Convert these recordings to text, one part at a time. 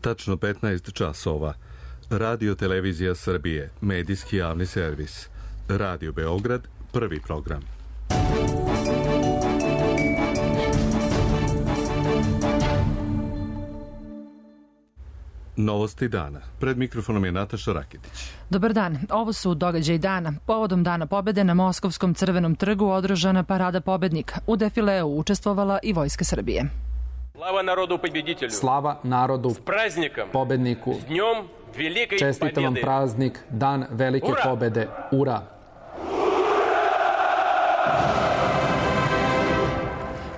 Tačno 15 časova. Radio Televizija Srbije, medijski javni servis. Radio Beograd, prvi program. Novosti dana. Pred mikrofonom je Nataša Rakitić. Dobar dan. Ovo su događaji dana. Povodom Dana pobede na Moskovskom Crvenom trgu održana parada pobednika. U defileu učestvovala i Vojska Srbije. Slava narodu pobeditelju. Slava narodu pobedniku. Čestitam vam praznik, Dan velike pobede. Ura!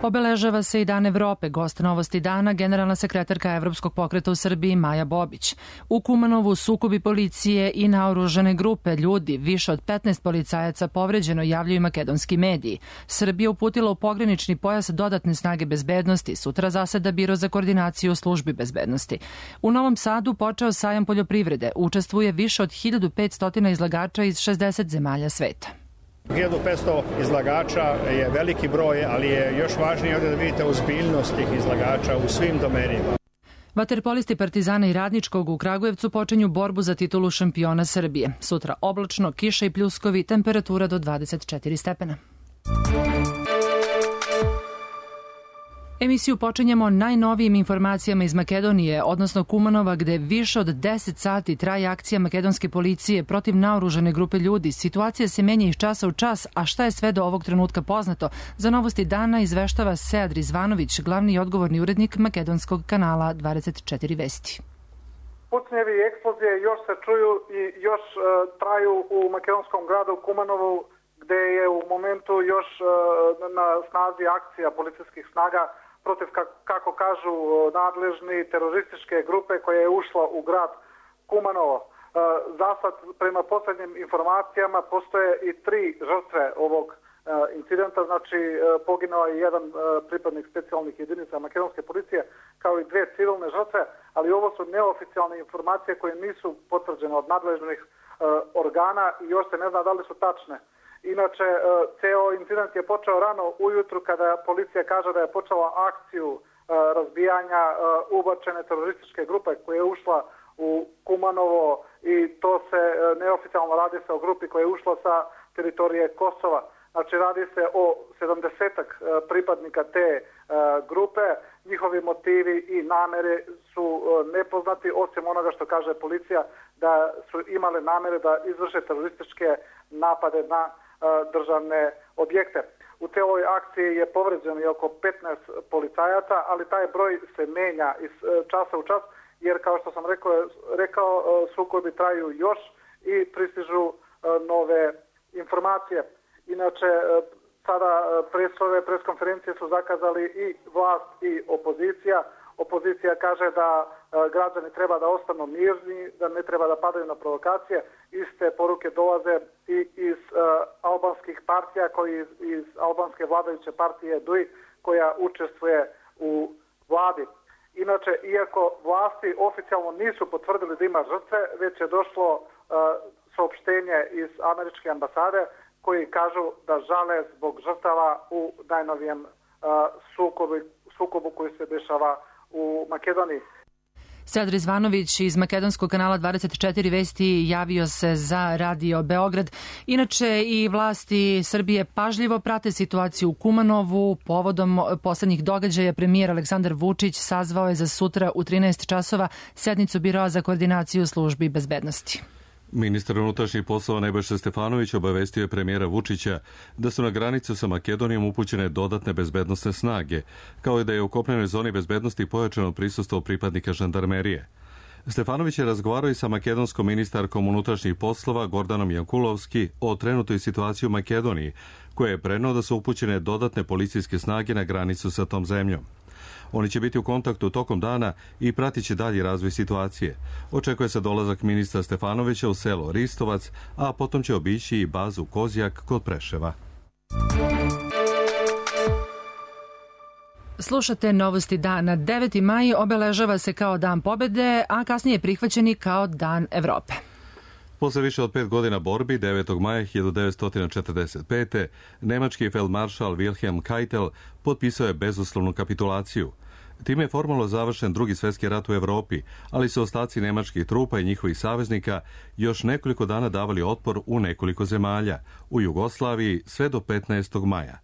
Obeležava se i Dan Evrope. Gost Novosti dana, generalna sekretarka Evropskog pokreta u Srbiji Maja Bobić. U Kumanovu sukobi policije i naoružane grupe ljudi, više od 15 policajaca povređeno, javljaju makedonski mediji. Srbija uputila u pogranični pojas dodatne snage bezbednosti. Sutra zaseda Biro za koordinaciju u službi bezbednosti. U Novom Sadu počeo sajam poljoprivrede. Učestvuje više od 1500 izlagača iz 60 zemalja sveta. 1500 izlagača je veliki broj, ali je još važnije ovdje da vidite ozbiljnost tih izlagača u svim domenima. Vaterpolisti Partizana i Radničkog u Kragujevcu počinju borbu za titulu šampiona Srbije. Sutra oblačno, kiša i pljuskovi, temperatura do 24 stepena. Emisiju počinjemo najnovijim informacijama iz Makedonije, odnosno Kumanova, gde više od 10 sati traje akcija makedonske policije protiv naoružane grupe ljudi. Situacija se menja iz časa u čas, a šta je sve do ovog trenutka poznato? Za Novosti dana izveštava Sead Rizvanović, glavni i odgovorni urednik makedonskog kanala 24 Vesti. Pucnjevi i eksplozije još se čuju i još traju u makedonskom gradu Kumanovu, gde je u momentu još na snazi akcija policijskih snaga protiv, kako kažu nadležni, terorističke grupe koja je ušla u grad Kumanovo. Zasad, prema posljednjim informacijama, postoje i 3 žrtve ovog incidenta, znači poginuo je jedan pripadnik specijalnih jedinica makedonske policije, kao i 2 civilne žrtve, ali ovo su neoficijalne informacije koje nisu potvrđene od nadležnih organa i još se ne zna da li su tačne. Inače, ceo incident je počeo rano ujutru kada policija kaže da je počela akciju razbijanja ubačene terorističke grupe koja je ušla u Kumanovo i to se neoficijalno radi se o grupi koja je ušla sa teritorije Kosova. Znači, radi se o 70-ak pripadnika te grupe. Njihovi motivi i namere su nepoznati, osim onoga što kaže policija da su imale namere da izvrše terorističke napade na državne objekte. U celoj akciji je povređeno i oko 15 policajaca, ali taj broj se menja iz časa u čas, jer kao što sam rekao sukobi traju još i pristižu nove informacije. Inače, sada preskonferencije su zakazali i vlast i opozicija. Opozicija kaže da građani treba da ostanu mirni, da ne treba da padaju na provokacije. Iste poruke dolaze i iz albanskih partija, koji iz albanske vladajuće partije DUI, koja učestvuje u vladi. Inače, iako vlasti oficijalno nisu potvrdili da ima žrtve, već je došlo saopštenje iz američke ambasade koji kažu da žale zbog žrtava u najnovijem sukobu koji se dešava u Makedoniji. Sead Rizvanović iz makedonskog kanala 24 Vesti javio se za Radio Beograd. Inače, i vlasti Srbije pažljivo prate situaciju u Kumanovu. Povodom poslednjih događaja premijer Aleksandar Vučić sazvao je za sutra u 13 časova sednicu Biroa za koordinaciju službi bezbednosti. Ministar unutrašnjih poslova Nebojša Stefanović obavestio je premijera Vučića da su na granicu sa Makedonijom upućene dodatne bezbednosne snage, kao i da je u kopnenoj zoni bezbednosti pojačano prisustvo pripadnika žandarmerije. Stefanović je razgovarao i sa makedonskom ministarkom unutrašnjih poslova Gordanom Jankulovski o trenutnoj situaciji u Makedoniji, koja je preneo da su upućene dodatne policijske snage na granicu sa tom zemljom. Oni će biti u kontaktu tokom dana i pratit će dalji razvoj situacije. Očekuje se dolazak ministra Stefanovića u selo Ristovac, a potom će obići i bazu Kozjak kod Preševa. Slušate Novosti dana. 9. maj obeležava se kao Dan pobede, a kasnije prihvaćeni kao Dan Evrope. Posle više od 5 godina borbi, 9. maja 1945. nemački feldmaršal Wilhelm Keitel potpisao je bezuslovnu kapitulaciju. Time je formalno završen Drugi svjetski rat u Evropi, ali su ostaci nemačkih trupa i njihovih saveznika još nekoliko dana davali otpor u nekoliko zemalja, u Jugoslaviji sve do 15. maja.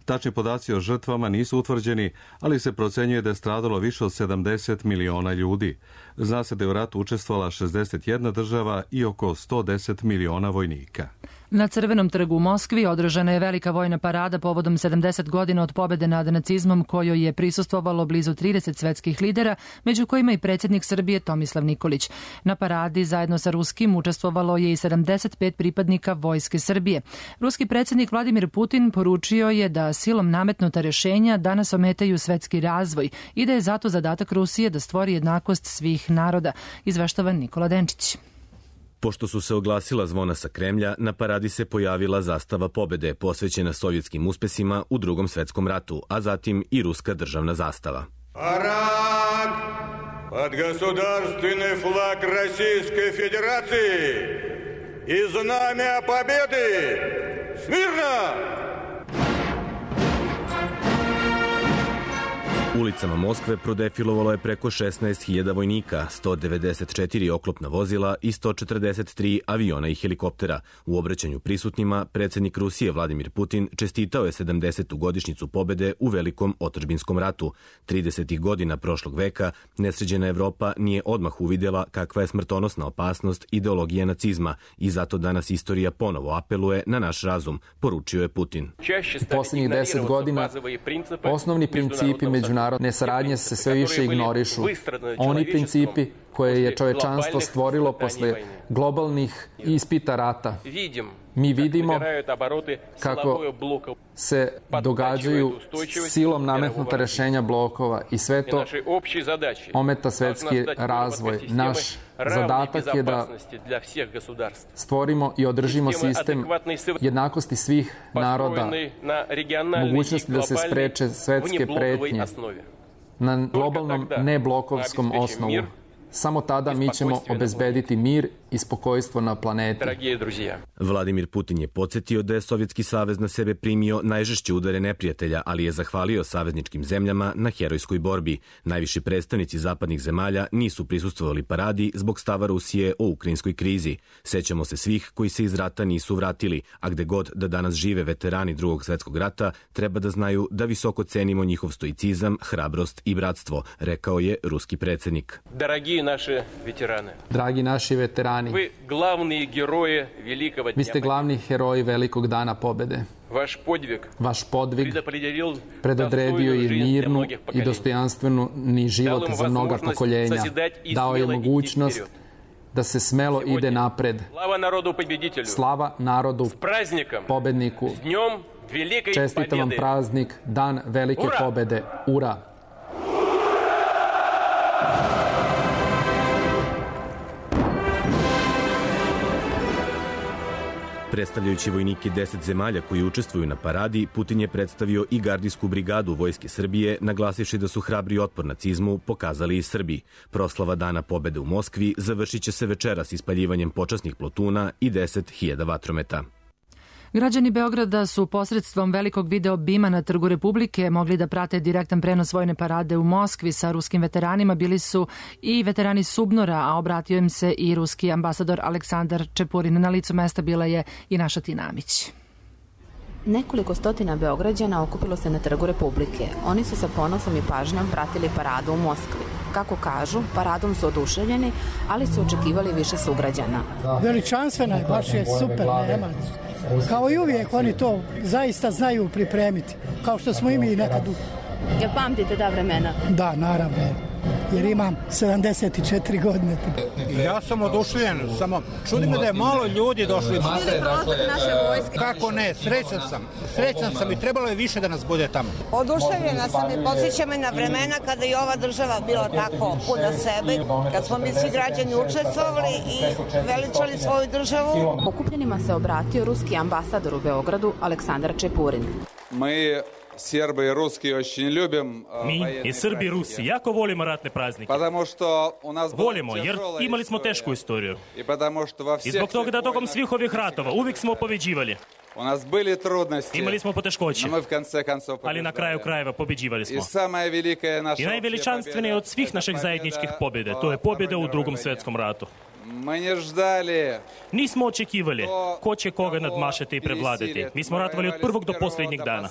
Tačni podaci o žrtvama nisu utvrđeni, ali se procenjuje da je stradalo više od 70 miliona ljudi. Zna se da je u ratu učestvovala 61 država i oko 110 miliona vojnika. Na Crvenom trgu u Moskvi održana je velika vojna parada povodom 70 godina od pobede nad nacizmom, kojoj je prisustvovalo blizu 30 svetskih lidera, među kojima i predsjednik Srbije Tomislav Nikolić. Na paradi zajedno sa ruskim učestvovalo je i 75 pripadnika Vojske Srbije. Ruski predsjednik Vladimir Putin poručio je da silom nametnuta rješenja danas ometaju svetski razvoj i da je zato zadatak Rusije da stvori jednakost svih naroda, izveštava Nikola Denčić. Pošto su se oglasila zvona sa Kremlja, na paradi se pojavila zastava pobede posvećena sovjetskim uspesima u Drugom svjetskom ratu, a zatim i ruska državna zastava. Parad pod государственный флаг Российской Федерации и знамя победы! Смирно! Ulicama Moskve prodefilovalo je preko 16.000 vojnika, 194 oklopna vozila i 143 aviona i helikoptera. U obraćanju prisutnima, predsjednik Rusije Vladimir Putin čestitao je 70. godišnjicu pobede u Velikom otadžbinskom ratu. 30. godina prošlog veka nesređena Evropa nije odmah uvidjela kakva je smrtonosna opasnost ideologije nacizma i zato danas istorija ponovo apeluje na naš razum, poručio je Putin. U posljednjih 10 godina osnovni principi međunarodne saradnje se sve više ignorišu. Oni principi koje je čovečanstvo stvorilo posle globalnih ispita rata. Mi vidimo kako se događaju silom nametnuta rješenja blokova i sve to ometa svetski razvoj. Naš zadatak je da stvorimo i održimo sistem jednakosti svih naroda, mogućnosti da se spreče svetske pretnje na globalnom neblokovskom osnovu. Samo tada mi ćemo obezbediti mir i spokojstvo na planeti. Vladimir Putin je podsjetio da je Sovjetski savez na sebe primio najžešće udare neprijatelja, ali je zahvalio savezničkim zemljama na herojskoj borbi. Najviši predstavnici zapadnih zemalja nisu prisustvovali paradi zbog stava Rusije o ukrajinskoj krizi. Sećamo se svih koji se iz rata nisu vratili, a gde god da danas žive veterani Drugog svjetskog rata, treba da znaju da visoko cenimo njihov stoicizam, hrabrost i bratstvo, rekao je ruski predsjednik. Dragi naši veterani, vi ste glavni heroji velikog dana pobede. Vaš podvig predodredio je mirnu i dostojanstvenu život za mnoga pokoljenja. Dao je mogućnost da se smelo ide napred. Slava narodu pobedniku. Čestitam vam praznik, dan velike pobede. Ura! Predstavljajući vojnike 10 zemalja koji učestvuju na paradi, Putin je predstavio i gardijsku brigadu Vojske Srbije, naglasivši da su hrabri otpor nacizmu pokazali i Srbi. Proslava Dana pobede u Moskvi završit će se večeras ispaljivanjem počasnih plotuna i 10.000 vatrometa. Građani Beograda su posredstvom velikog video bima na Trgu Republike mogli da prate direktan prenos vojne parade u Moskvi sa ruskim veteranima. Bili su i veterani Subnora, a obratio im se i ruski ambasador Aleksandar Čepurin. Na licu mesta bila je i naša Tinamić. Nekoliko stotina Beograđana okupilo se na Trgu Republike. Oni su sa ponosom i pažnjom pratili paradu u Moskvi. Kako kažu, paradom su oduševljeni, ali su očekivali više sugrađana. Veličanstvena je, baš je super, nema. Kao i uvijek, oni to zaista znaju pripremiti, kao što smo i mi nekad. Jel pamtite ta vremena? Da, naravno, jer imam 74 godine. Ja sam oduševljen, samo čudi me da je malo ljudi došli. Kako ne, srećan sam i trebalo je više da nas bude tamo. Oduševljena sam i podsjeća me na vremena kada je ova država bila tako puna sebe, kad smo mi svi građani učestvovali i veličali svoju državu. Okupljenima se obratio ruski ambasador u Beogradu Aleksandar Čepurin. Mi i Srbi i Rusi jako volimo ratne praznike. Volimo jer imali smo tešku istoriju. I zbog toga da tokom svih ovih ratova uvijek smo pobeđivali. Imali smo poteškoće, ali na kraju krajeva pobeđivali smo. I najveličanstvenije od svih naših zajedničkih pobjede, to je pobjeda u Drugom svjetskom ratu. Nismo očekivali ko će koga nadmašati i prevladati. Mi smo ratovali od prvog do posljednjeg dana.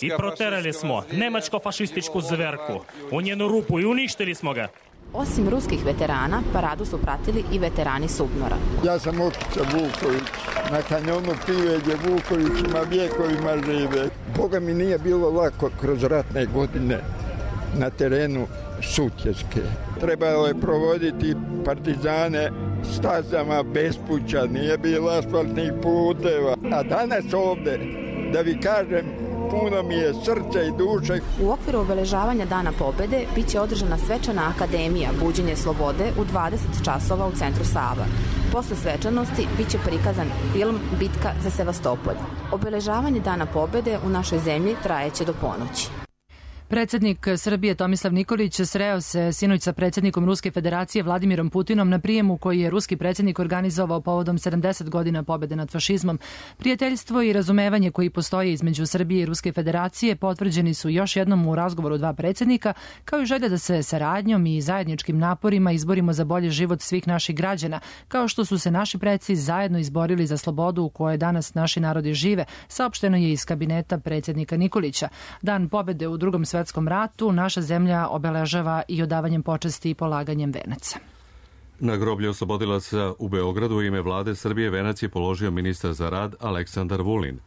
I proterali smo nemačko-fašističku zverku u njenu rupu i uništili smo ga. Osim ruskih veterana, paradu su pratili i veterani SUBNOR-a. Ja sam Okica Vuković, na kanjonu Piveđe Vukovićima vjekovima žive. Boga mi nije bilo lako kroz ratne godine na terenu Sutjeske. Trebalo je provoditi partizane stazama bespuća, nije bilo asfaltnih puteva. A danas ovde, da vi kažem, puno mi je srce i duše. U okviru obeležavanja Dana pobjede biće održana svečana akademija Buđenje slobode u 20 časova u centru Sava. Posle svečanosti biće prikazan film Bitka za Sevastopolj. Obeležavanje Dana pobjede u našoj zemlji trajeće do ponoći. Predsjednik Srbije Tomislav Nikolić sreo se sinoć sa predsjednikom Ruske federacije Vladimirom Putinom na prijemu koji je ruski predsjednik organizovao povodom 70 godina pobjede nad fašizmom. Prijateljstvo i razumevanje koji postoje između Srbije i Ruske federacije potvrđeni su još jednom u razgovoru dva predsjednika, kao i želja da se saradnjom i zajedničkim naporima izborimo za bolji život svih naših građana, kao što su se naši preci zajedno izborili za slobodu u kojoj danas naši narodi žive, saopšteno je iz kabineta predsjednika Nikolića. Dan pobjede u Drugom svjetskom ratu naša zemlja obeležava i odavanjem počasti i polaganjem venaca. Na groblju oslobodilaca u Beogradu u ime vlade Srbije venac je položio ministar za rad Aleksandar Vulin.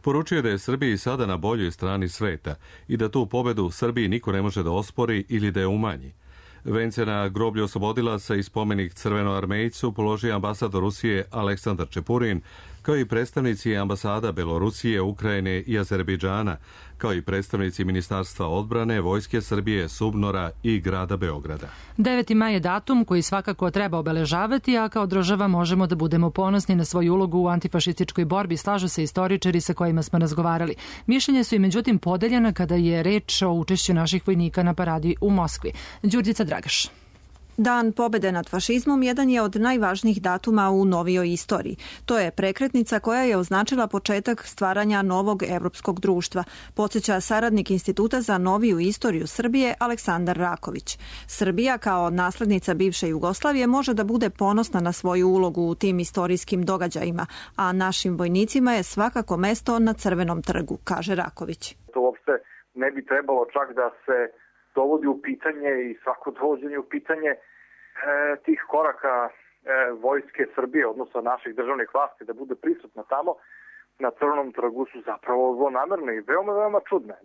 Poručio je da je Srbiji sada na boljoj strani sveta i da tu pobedu u Srbiji niko ne može da ospori ili da je umanji. Vence na groblju oslobodilaca i spomenik Crvenoarmejcu položio ambasador Rusije Aleksandar Čepurin, kao i predstavnici ambasada Belorusije, Ukrajine i Azerbejdžana, kao i predstavnici Ministarstva odbrane, Vojske Srbije, SUBNOR-a i grada Beograda. 9. maj je datum koji svakako treba obeležavati, a kao država možemo da budemo ponosni na svoju ulogu u antifašističkoj borbi, slažu se istoričari sa kojima smo razgovarali. Mišljenje su i međutim podeljena kada je reč o učešću naših vojnika na paradi u Moskvi. Đurđica Dragaš. Dan pobjede nad fašizmom jedan je od najvažnijih datuma u novijoj istoriji. To je prekretnica koja je označila početak stvaranja novog evropskog društva, podsjeća saradnik Instituta za noviju istoriju Srbije Aleksandar Raković. Srbija kao naslednica bivše Jugoslavije može da bude ponosna na svoju ulogu u tim istorijskim događajima, a našim vojnicima je svakako mesto na Crvenom trgu, kaže Raković. To uopšte ne bi trebalo čak da se dovodi u pitanje i svako dovođenje u pitanje tih koraka vojske Srbije, odnosno naših državnih vlasti, da bude prisutna tamo na Crvenom trgu su zapravo zlonamerne i veoma čudne.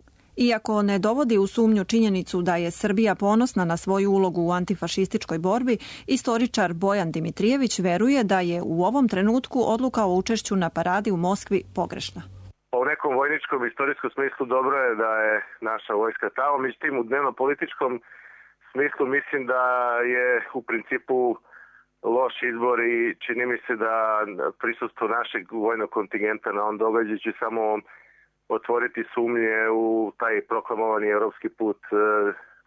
Iako ne dovodi u sumnju činjenicu da je Srbija ponosna na svoju ulogu u antifašističkoj borbi, istoričar Bojan Dimitrijević veruje da je u ovom trenutku odluka o učešću na paradi u Moskvi pogrešna. U nekom vojničkom istorijskom smislu dobro je da je naša vojska tamo, međutim u dnevno-političkom smislu mislim da je u principu loš izbor i čini mi se da prisustvo našeg vojnog kontingenta na ovom događaju će samo otvoriti sumnje u taj proklamovani evropski put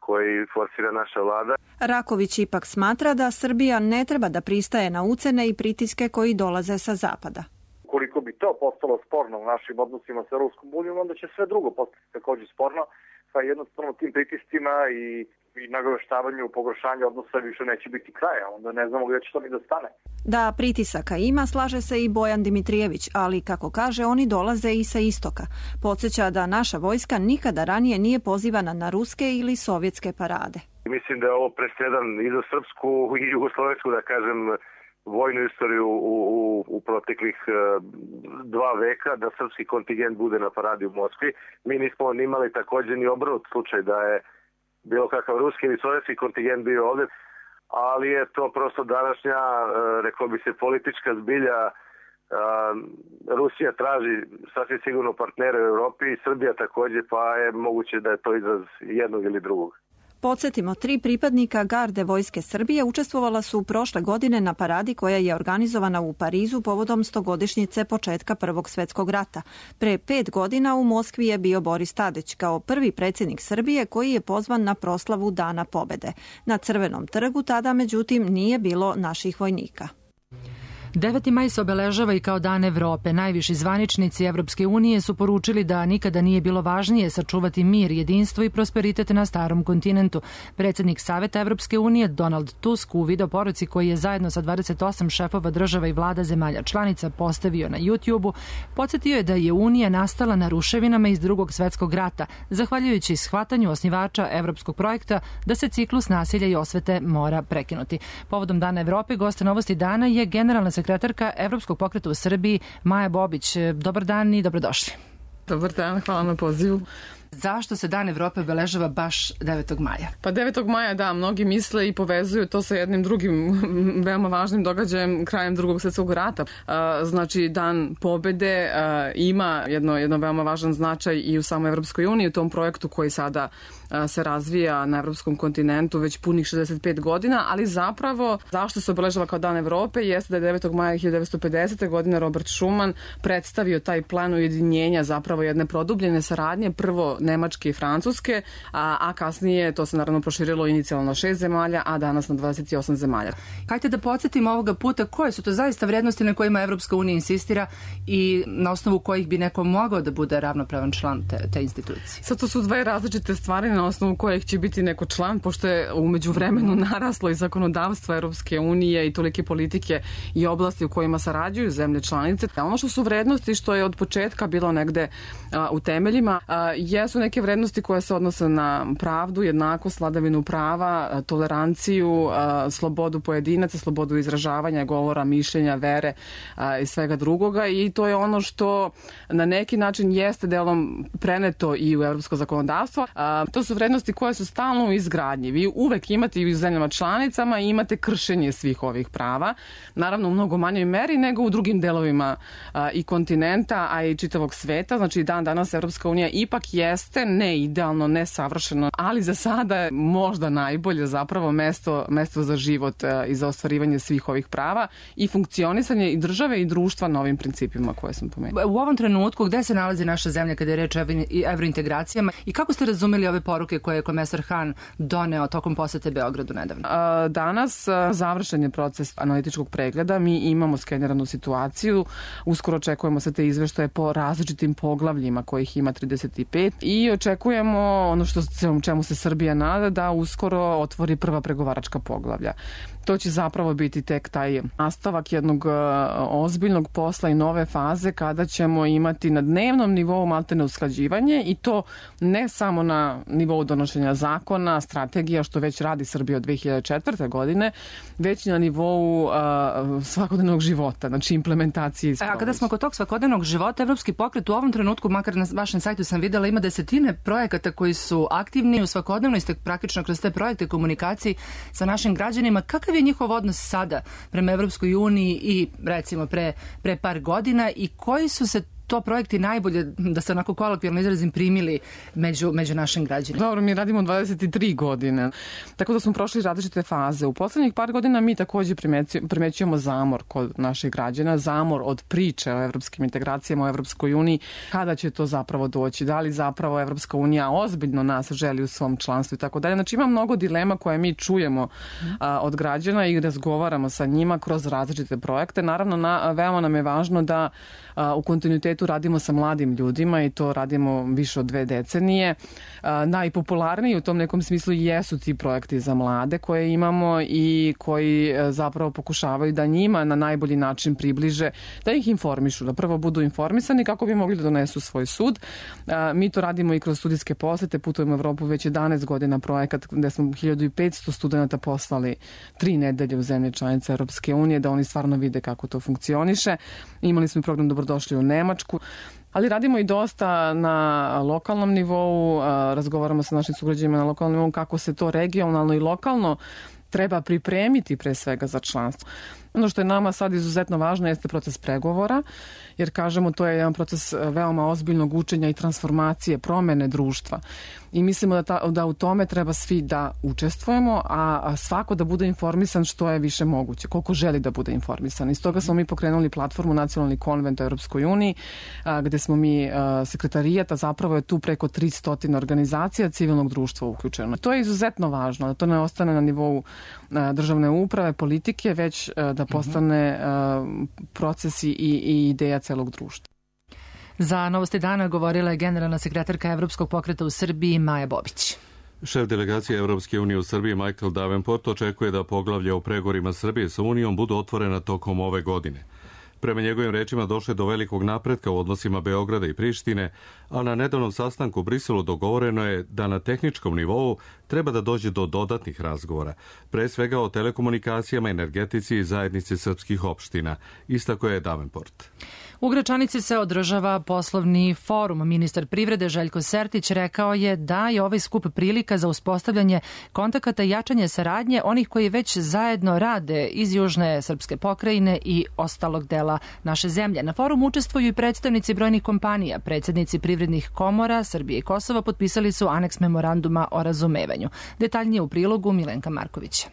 koji forsira naša vlada. Raković ipak smatra da Srbija ne treba da pristaje na ucene i pritiske koji dolaze sa zapada. Koliko bi to postalo sporno u našim odnosima sa Ruskom unijom, onda će sve drugo postati također sporno, pa jednostavno tim pritiscima i nagoveštavanju, pogoršanju odnosa više neće biti kraja, onda ne znamo gdje će to ni da stane. Da pritisaka ima, slaže se i Bojan Dimitrijević, ali kako kaže, oni dolaze i sa istoka. Podsjeća da naša vojska nikada ranije nije pozivana na ruske ili sovjetske parade. Mislim da je ovo presedan i za srpsku i jugoslovensku, da kažem, vojnu istoriju u proteklih 2 veka, da srpski kontingent bude na paradi u Moskvi. Mi nismo imali također ni obrnut slučaj da je bilo kakav ruski ili sovjetski kontingent bio ovdje, ali je to prosto današnja, rekao bi se, politička zbilja. Rusija traži sasvim sigurno partnere u Europi i Srbija također, pa je moguće da je to izraz jednog ili drugog. Podsjetimo, 3 pripadnika garde vojske Srbije učestvovala su prošle godine na paradi koja je organizovana u Parizu povodom 100-godišnjice početka Prvog svjetskog rata. Pre 5 godina u Moskvi je bio Boris Tadić kao prvi predsjednik Srbije koji je pozvan na proslavu Dana pobjede. Na Crvenom trgu tada, međutim, nije bilo naših vojnika. 9. maj se obeležava i kao Dan Evrope. Najviši zvaničnici Evropske unije su poručili da nikada nije bilo važnije sačuvati mir, jedinstvo i prosperitet na starom kontinentu. Predsjednik Saveta Evropske unije Donald Tusk u videoporuci koji je zajedno sa 28 šefova država i vlada zemalja članica postavio na YouTube-u, podsjetio je da je Unija nastala na ruševinama iz Drugog svetskog rata, zahvaljujući shvatanju osnivača evropskog projekta da se ciklus nasilja i osvete mora prekinuti. Povodom Dana Evrope, goste Novosti dana je generalna sekretarka Evropskog pokreta u Srbiji Maja Bobić. Dobar dan i dobrodošli. Dobar dan, hvala na pozivu. Zašto se Dan Evrope obeležava baš 9. maja? Pa 9. maja, da, mnogi misle i povezuju to sa jednim drugim veoma važnim događajem krajem Drugog svjetskog rata. Znači, Dan pobede ima jedno veoma važan značaj i u samoj Evropskoj uniji, u tom projektu koji sada se razvija na evropskom kontinentu već punih 65 godina, ali zapravo zašto se obeležava kao Dan Evrope jeste da je 9. maja 1950. godine Robert Schuman predstavio taj plan ujedinjenja, zapravo jedne produbljene saradnje, prvo Nemačke i Francuske, a kasnije to se naravno proširilo inicijalno na 6 zemalja, a danas na 28 zemalja. Hajde da podsjetimo ovoga puta koje su to zaista vrednosti na kojima Evropska unija insistira i na osnovu kojih bi neko mogao da bude ravnopravan član te institucije. Sad to su dve različite stvari na osnovu kojih će biti neko član, pošto je umeđu vremenu naraslo i zakonodavstvo Evropske unije i tolike politike i oblasti u kojima sarađuju zemlje članice. Ono što su vrednosti, što je od početka bilo negde u temeljima, jesu neke vrednosti koje se odnose na pravdu, jednakost, vladavinu prava, toleranciju, slobodu pojedinaca, slobodu izražavanja, govora, mišljenja, vere i svega drugoga, i to je ono što na neki način jeste delom preneto i u evropsko zakonodavstvo. To su vrednosti koje su stalno u izgradnji. Vi uvek imate i u zemljama članicama i imate kršenje svih ovih prava, naravno u mnogo manjoj meri nego u drugim delovima i kontinenta, a i čitavog sveta. Znači, dan danas Evropska unija ipak jeste ne idealno, ne savršeno, ali za sada je možda najbolje zapravo mesto za život i za ostvarivanje svih ovih prava i funkcionisanje i države i društva na ovim principima koje sam pomenula. U ovom trenutku gde se nalazi naša zemlja kada je reč o evrointegracijama i kako ste razumeli ove poruke koje je komesar Hahn doneo tokom posete Beogradu nedavno? Danas završen je proces analitičkog pregleda, mi imamo skeniranu situaciju, uskoro očekujemo se te izveštaje po različitim poglavljima kojih ima 35 i očekujemo ono čemu se Srbija nada, da uskoro otvori prva pregovaračka poglavlja. To će zapravo biti tek taj nastavak jednog ozbiljnog posla i nove faze kada ćemo imati na dnevnom nivou maltene usklađivanje, i to ne samo na nivou donošenja zakona, strategija, što već radi Srbija od 2004. godine, već i na nivou svakodnevnog života, znači implementacije. A kada smo kod tog svakodnevnog života, Evropski pokret u ovom trenutku, makar na vašem sajtu sam videla, ima desetine projekata koji su aktivni u svakodnevno, ste praktično kroz te projekte komunikaciji sa našim građanima. Kakav je njihov odnos sada prema Evropskoj uniji i recimo pre par godina i koji su se to projekti najbolje, da se onako kolokvijalno izrazim, primili među našim građanima? Dobro, mi radimo 23 godine, tako da smo prošli različite faze. U poslednjih par godina mi takođe primećujemo zamor kod naših građana, zamor od priče o evropskim integracijama, o Evropskoj uniji, kada će to zapravo doći, da li zapravo Evropska unija ozbiljno nas želi u svom članstvu i tako dalje. Znači, ima mnogo dilema koje mi čujemo od građana i razgovaramo sa njima kroz različite projekte. Naravno, veoma nam je važno da u kontinuitetu radimo sa mladim ljudima i to radimo više od 2 decenije. Najpopularniji u tom nekom smislu jesu ti projekti za mlade koje imamo i koji zapravo pokušavaju da njima na najbolji način približe, da ih informišu, da prvo budu informisani kako bi mogli da donesu svoj sud. Mi to radimo i kroz studijske posete, putujemo u Evropu već 11 godina, projekat gde smo 1500 studenta poslali 3 nedelje u zemlje članice Evropske unije, da oni stvarno vide kako to funkcioniše. Imali smo program Dobrodošli u Nemačku, ali radimo i dosta na lokalnom nivou, razgovaramo sa našim sugrađanima na lokalnom nivou kako se to regionalno i lokalno treba pripremiti pre svega za članstvo. Ono što je nama sad izuzetno važno jeste proces pregovora, jer kažemo to je jedan proces veoma ozbiljnog učenja i transformacije, promene društva. I mislimo da u tome treba svi da učestvujemo, a svako da bude informisan što je više moguće, koliko želi da bude informisan. Iz toga smo mi pokrenuli platformu Nacionalni konvent u Europskoj uniji, gde smo mi sekretarijat, a zapravo je tu preko 300 organizacija civilnog društva uključeno. To je izuzetno važno, da to ne ostane na nivou državne uprave, politike, već da da postane proces i ideja celog društva. Za Novosti dana govorila je generalna sekretarka Evropskog pokreta u Srbiji Maja Bobić. Šef delegacije Evropske unije u Srbiji Michael Davenport očekuje da poglavlja u pregovorima Srbije sa Unijom budu otvorena tokom ove godine. Prema njegovim rečima došlo je do velikog napretka u odnosima Beograda i Prištine, a na nedavnom sastanku u Briselu dogovoreno je da na tehničkom nivou treba da dođe do dodatnih razgovora, pre svega o telekomunikacijama, energetici i zajednici srpskih opština, istako je Davenport. U Gračanici se održava poslovni forum. Ministar privrede Željko Sertić rekao je da je ovaj skup prilika za uspostavljanje kontakata i jačanje saradnje onih koji već zajedno rade iz južne srpske pokrajine i ostalog dela naše zemlje. Na forumu učestvuju i predstavnici brojnih kompanija. Predsjednici privrednih komora Srbije i Kosova potpisali su aneks memoranduma o razumevanju. Detaljnije u prilogu Milenka Markovića.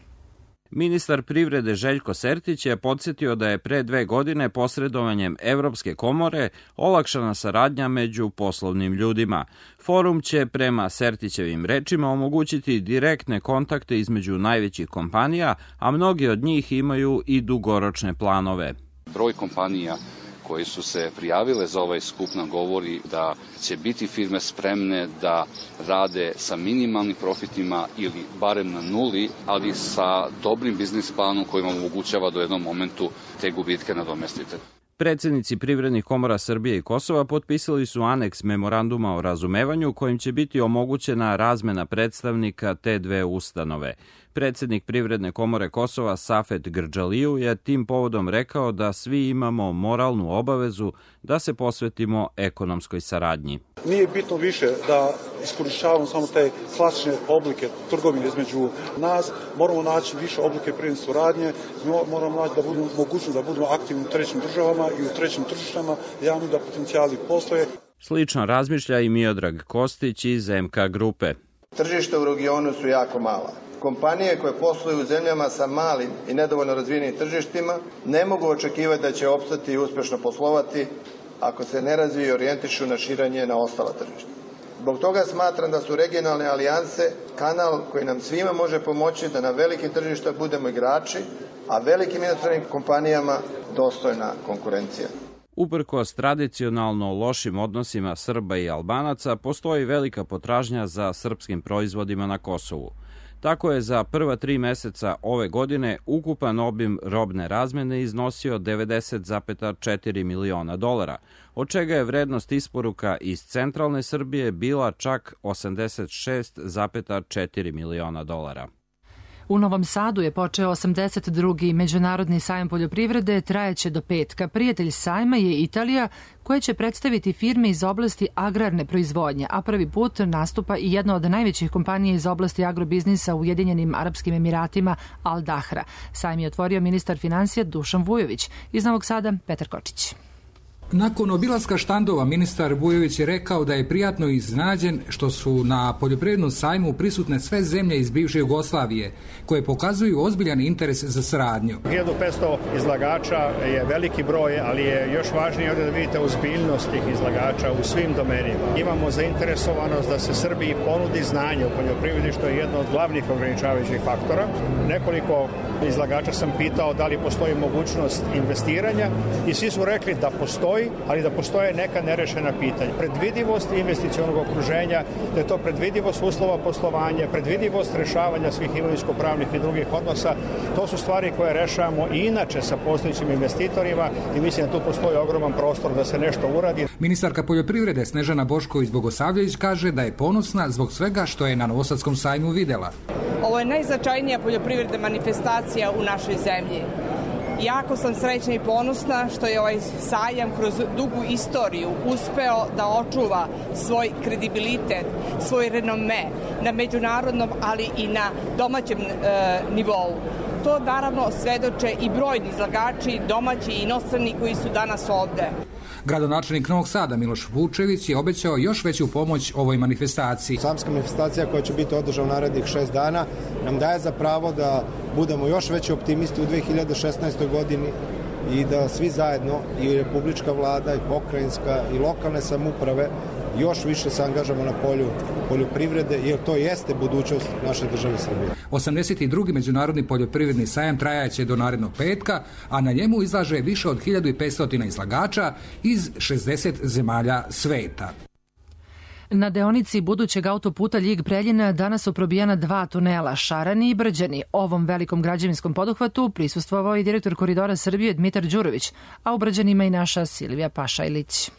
Ministar privrede Željko Sertić je podsjetio da je pre 2 godine posredovanjem Evropske komore olakšana saradnja među poslovnim ljudima. Forum će prema Sertićevim rečima omogućiti direktne kontakte između najvećih kompanija, a mnogi od njih imaju i dugoročne planove. Broj kompanija koji su se prijavile za ovaj skup nam govori da će biti firme spremne da rade sa minimalnim profitima ili barem na nuli, ali sa dobrim biznis planom koji vam omogućava da u jednom momentu te gubitke nadomestite. Predsjednici privrednih komora Srbije i Kosova potpisali su aneks memoranduma o razumevanju kojim će biti omogućena razmena predstavnika te dve ustanove. Predsjednik Privredne komore Kosova Safet Grđaliju je tim povodom rekao da svi imamo moralnu obavezu da se posvetimo ekonomskoj saradnji. Nije bitno više da iskorišćavamo samo te klasične oblike trgovine između nas, moramo naći više oblike privredne suradnje, moramo naći da budemo mogućnost da budemo aktivni u trećim državama i u trećim tržištama, javno da potencijali postoje. Slično razmišlja i Miodrag Kostić iz MK grupe. Tržište u regionu su jako mala. Kompanije koje posluju u zemljama sa malim i nedovoljno razvijenim tržištima ne mogu očekivati da će opstati i uspješno poslovati ako se ne razviju i orijentišu na širenje na ostala tržišta. Zbog toga smatram da su regionalne alijanse kanal koji nam svima može pomoći da na velikim tržišta budemo igrači, a velikim inostranim kompanijama dostojna konkurencija. Uprkos tradicionalno lošim odnosima Srba i Albanaca, postoji velika potražnja za srpskim proizvodima na Kosovu. Tako je za prva 3 meseca ove godine ukupan obim robne razmene iznosio 90,4 miliona dolara, od čega je vrednost isporuka iz centralne Srbije bila čak 86,4 miliona dolara. U Novom Sadu je počeo 82. Međunarodni sajam poljoprivrede, trajeće do petka. Prijatelj sajma je Italija, koja će predstaviti firme iz oblasti agrarne proizvodnje, a prvi put nastupa i jedna od najvećih kompanija iz oblasti agrobiznisa u Ujedinjenim Arapskim Emiratima, Al Dahra. Sajam je otvorio ministar finansija Dušan Vujović. Iz Novog Sada, Petar Kočić. Nakon obilaska štandova, ministar Vujović je rekao da je prijatno iznenađen što su na poljoprivrednom sajmu prisutne sve zemlje iz bivše Jugoslavije, koje pokazuju ozbiljan interes za saradnju. 1500 izlagača je veliki broj, ali je još važnije ovdje da vidite ozbiljnost tih izlagača u svim domenima. Imamo zainteresovanost da se Srbiji ponudi znanje u poljoprivredi, što je jedno od glavnih ograničavajućih faktora. Nekoliko izlagača sam pitao da li postoji mogućnost investiranja i svi su rekli da postoji, ali da postoje neka nerešena pitanja. Predvidivost investicionog okruženja, da je to predvidivost uslova poslovanja, predvidivost rešavanja svih imovinsko-pravnih i drugih odnosa, to su stvari koje rešavamo i inače sa postojećim investitorima i mislim da tu postoji ogroman prostor da se nešto uradi. Ministarka poljoprivrede Snežana Bošković-Bogosavljević kaže da je ponosna zbog svega što je na Novosadskom sajmu videla. Ovo je najznačajnija poljoprivredna manifestacija u našoj zemlji. Jako sam srećna i ponosna što je ovaj sajam kroz dugu istoriju uspeo da očuva svoj kredibilitet, svoj renome na međunarodnom, ali i na domaćem nivou. To naravno svedoče i brojni izlagači, domaći i inostrani koji su danas ovde. Gradonačelnik Novog Sada Miloš Vučević je obećao još veću pomoć ovoj manifestaciji. Sajamska manifestacija koja će biti održana u narednih 6 dana nam daje za pravo da budemo još veći optimisti u 2016. godini, i da svi zajedno, i republička vlada, i pokrajinska, i lokalne samouprave, još više se angažamo na polju poljoprivrede, jer to jeste budućnost naše države Srbije. 82. Međunarodni poljoprivredni sajam trajaće do narednog petka, a na njemu izlaže više od 1500 izlagača iz 60 zemalja sveta. Na deonici budućeg autoputa Ljig-Preljina danas su probijena 2 tunela, Šarani i Brđani. Ovom velikom građevinskom poduhvatu prisustvovao i direktor Koridora Srbije Dmitar Đurović, a u Brđanima i naša Silvija Pašajlić.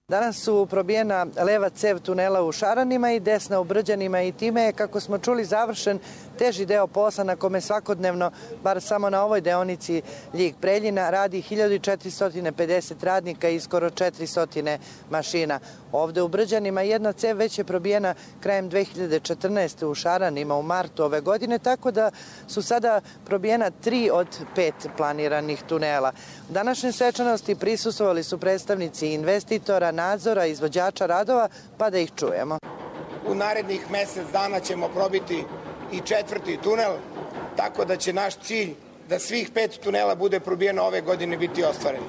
Danas su probijena leva cev tunela u Šaranima i desna u Brđanima i time je, kako smo čuli, završen teži deo posla na kome svakodnevno, bar samo na ovoj deonici Ljig-Preljina, radi 1450 radnika i skoro 400 mašina. Ovde u Brđanima jedna cev već je probijena krajem 2014. u Šaranima u martu ove godine, tako da su sada probijena 3 od 5 planiranih tunela. U današnjoj svečanosti prisustvovali su predstavnici investitora, nadzora, izvođača radova, pa da ih čujemo. U narednih mesec dana ćemo probiti i 4. tunel, tako da će naš cilj da svih 5 tunela bude probijeno ove godine biti ostvaren.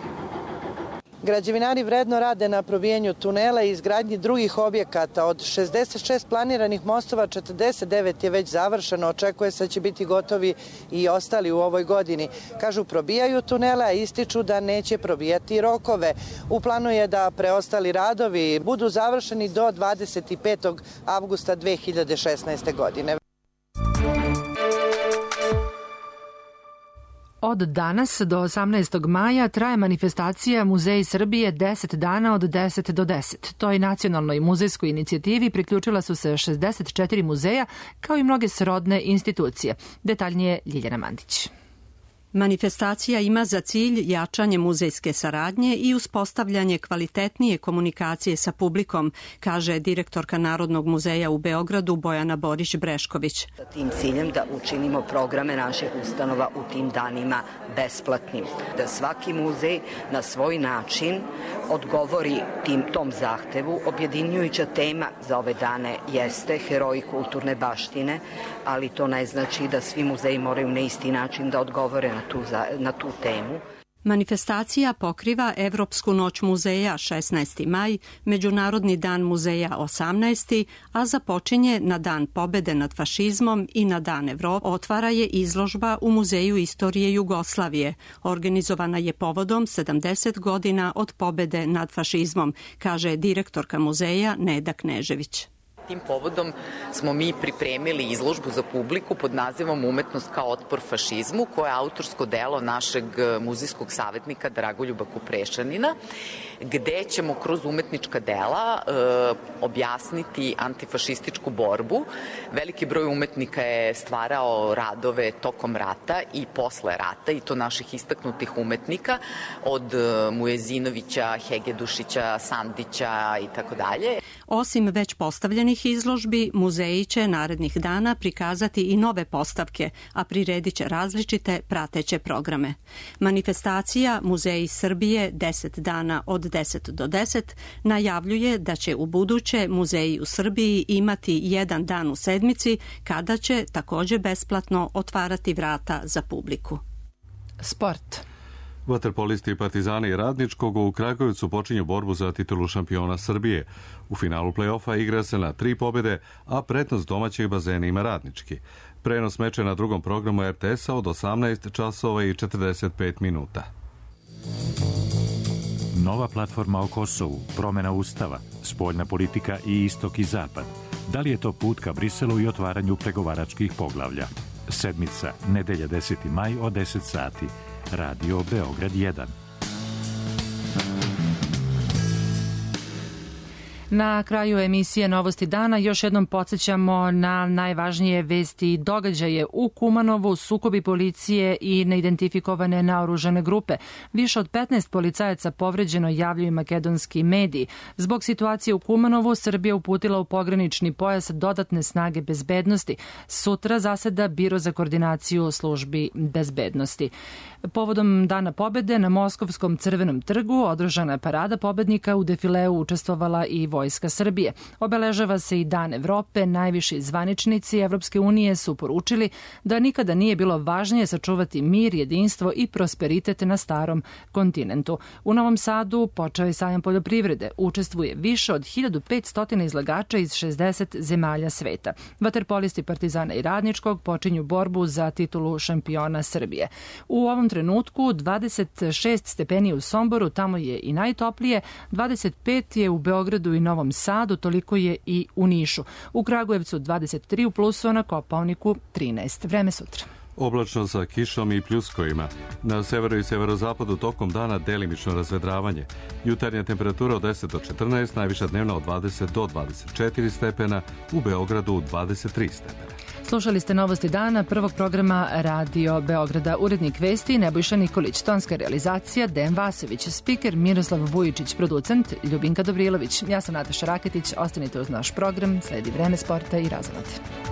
Građevinari vredno rade na probijenju tunela i izgradnji drugih objekata. Od 66 planiranih mostova, 49 je već završeno. Očekuje se da će biti gotovi i ostali u ovoj godini. Kažu, probijaju tunele, a ističu da neće probijati rokove. U planu je da preostali radovi budu završeni do 25. avgusta 2016. godine. Od danas do 18. maja traje manifestacija Muzeji Srbije 10 dana od 10 do 10. Toj nacionalnoj muzejskoj inicijativi priključila su se 64 muzeja, kao i mnoge srodne institucije. Detaljnije Ljiljana Mandić. Manifestacija ima za cilj jačanje muzejske saradnje i uspostavljanje kvalitetnije komunikacije sa publikom, kaže direktorka Narodnog muzeja u Beogradu Bojana Borić-Brešković. Sa tim ciljem da učinimo programe naših ustanova u tim danima besplatnim. Da svaki muzej na svoj način odgovori tom zahtevu. Objedinjujuća tema za ove dane jeste heroji kulturne baštine, ali to ne znači da svi muzeji moraju na isti način da odgovore na tu temu. Manifestacija pokriva Evropsku noć muzeja 16. maj, Međunarodni dan muzeja 18. a započinje na Dan pobede nad fašizmom i na Dan Evrope. Otvara je izložba u Muzeju istorije Jugoslavije. Organizovana je povodom 70 godina od pobede nad fašizmom, kaže direktorka muzeja Neda Knežević. Tim povodom smo mi pripremili izložbu za publiku pod nazivom Umetnost kao otpor fašizmu, koje je autorsko delo našeg muzejskog savjetnika Dragoljuba Kuprešanina, gde ćemo kroz umetnička dela objasniti antifašističku borbu. Veliki broj umetnika je stvarao radove tokom rata i posle rata, i to naših istaknutih umetnika, od Mujezinovića, Hegedušića, Sandića i tako dalje. Osim već postavljenih izložbi, muzeji će narednih dana prikazati i nove postavke, a priredit će različite prateće programe. Manifestacija Muzeji Srbije 10 dana od 10 do 10 najavljuje da će u buduće muzeji u Srbiji imati jedan dan u sedmici, kada će takođe besplatno otvarati vrata za publiku. Sport. Vaterpolisti Partizana i Radničkog u Kragujevcu počinju borbu za titulu šampiona Srbije. U finalu play-offa igra se na 3 pobjede, a prednost domaćih bazena ima Radnički. Prenos meča na drugom programu RTS-a od 18 časova i 45 minuta. Nova platforma o Kosovu, promjena ustava, spoljna politika i istok i zapad. Da li je to put ka Briselu i otvaranju pregovaračkih poglavlja? Sedmica, nedelja 10. maj od 10 sati. Radio Beograd 1. Na kraju emisije Novosti dana još jednom podsjećamo na najvažnije vesti i događaje u Kumanovu, sukobi policije i neidentifikovane naoružane grupe. Više od 15 policajaca povređeno, javljaju makedonski mediji. Zbog situacije u Kumanovu, Srbija uputila u pogranični pojas dodatne snage bezbednosti. Sutra zaseda Biro za koordinaciju službi bezbednosti. Povodom Dana pobede na Moskovskom Crvenom trgu održana je parada pobednika, u defileu učestvovala i Vojska Srbije. Obeležava se i Dan Evrope. Najviši zvaničnici Evropske unije su poručili da nikada nije bilo važnije sačuvati mir, jedinstvo i prosperitet na starom kontinentu. U Novom Sadu počeo je sajam poljoprivrede. Učestvuje više od 1500 izlagača iz 60 zemalja sveta. Vaterpolisti Partizana i Radničkog počinju borbu za titulu šampiona Srbije. U ovom trenutku 26 stepeni u Somboru, tamo je i najtoplije, 25 je u Beogradu i Novom Sadu, toliko je i u Nišu. U Kragujevcu 23 u plusu, na Kopaoniku 13. Vreme sutra. Oblačno sa kišom i pljuskovima. Na severu i severozapadu tokom dana delimično razvedravanje. Jutarnja temperatura od 10 do 14, najviša dnevna od 20 do 24 stepena, u Beogradu 23 stepena. Slušali ste Novosti dana prvog programa Radio Beograda. Urednik vesti Nebojša Nikolić, tonska realizacija Dejan Vasović, spiker Miroslav Vujičić, producent Ljubinka Dobrilović. Ja sam Nataša Raketić, ostanite uz naš program, sledi Vreme sporta i razonode.